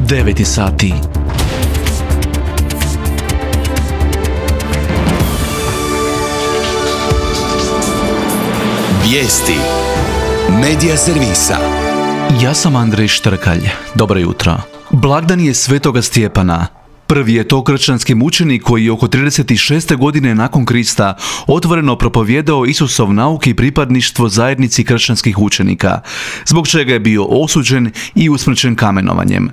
9 sati. Vijesti Medija servisa. Ja sam Andrej Štrkalj. Dobro jutro. Blagdan je Svetoga Stjepana. Prvi je to kršćanski mučenik koji je oko 36. godine nakon Krista otvoreno propovijedao Isusov nauk i pripadništvo zajednici kršćanskih učenika, zbog čega je bio osuđen i usmrćen kamenovanjem.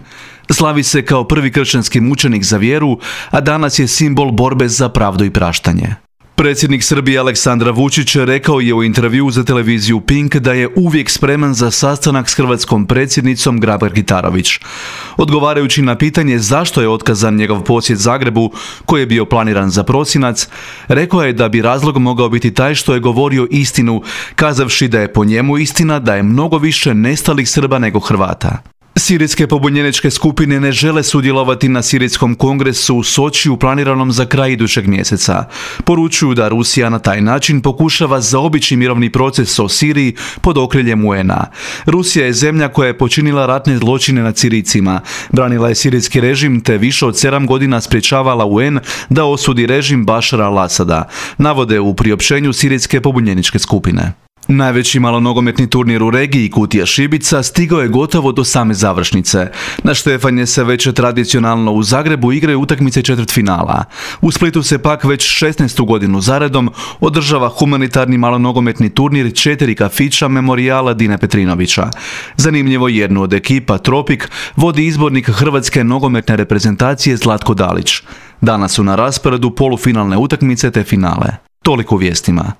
Slavi se kao prvi kršćanski mučenik za vjeru, a danas je simbol borbe za pravdu i praštanje. Predsjednik Srbije Aleksandar Vučić rekao je u intervjuu za televiziju Pink da je uvijek spreman za sastanak s hrvatskom predsjednicom Grabar-Kitarović. Odgovarajući na pitanje zašto je otkazan njegov posjet Zagrebu, koji je bio planiran za prosinac, rekao je da bi razlog mogao biti taj što je govorio istinu, kazavši da je po njemu istina da je mnogo više nestalih Srba nego Hrvata. Sirijske pobunjeničke skupine ne žele sudjelovati na Sirijskom kongresu u Sočiju planiranom za kraj idućeg mjeseca. Poručuju da Rusija na taj način pokušava zaobići mirovni proces o Siriji pod okriljem UN-a. Rusija je zemlja koja je počinila ratne zločine nad Sirijcima, branila je sirijski režim te više od 7 godina sprječavala UN da osudi režim Bašara al-Asada, navode u priopćenju Sirijske pobunjeničke skupine. Najveći malonogometni turnir u regiji Kutija Šibica stigao je gotovo do same završnice. Na Štefanje se već tradicionalno u Zagrebu igraju utakmice četvrtfinala. U Splitu se pak već 16. godinu zaredom održava humanitarni malonogometni turnir 4 kafića memorijala Dine Petrinovića. Zanimljivo, jednu od ekipa Tropik vodi izbornik hrvatske nogometne reprezentacije Zlatko Dalić. Danas su na rasporedu polufinalne utakmice te finale. Toliko u vijestima.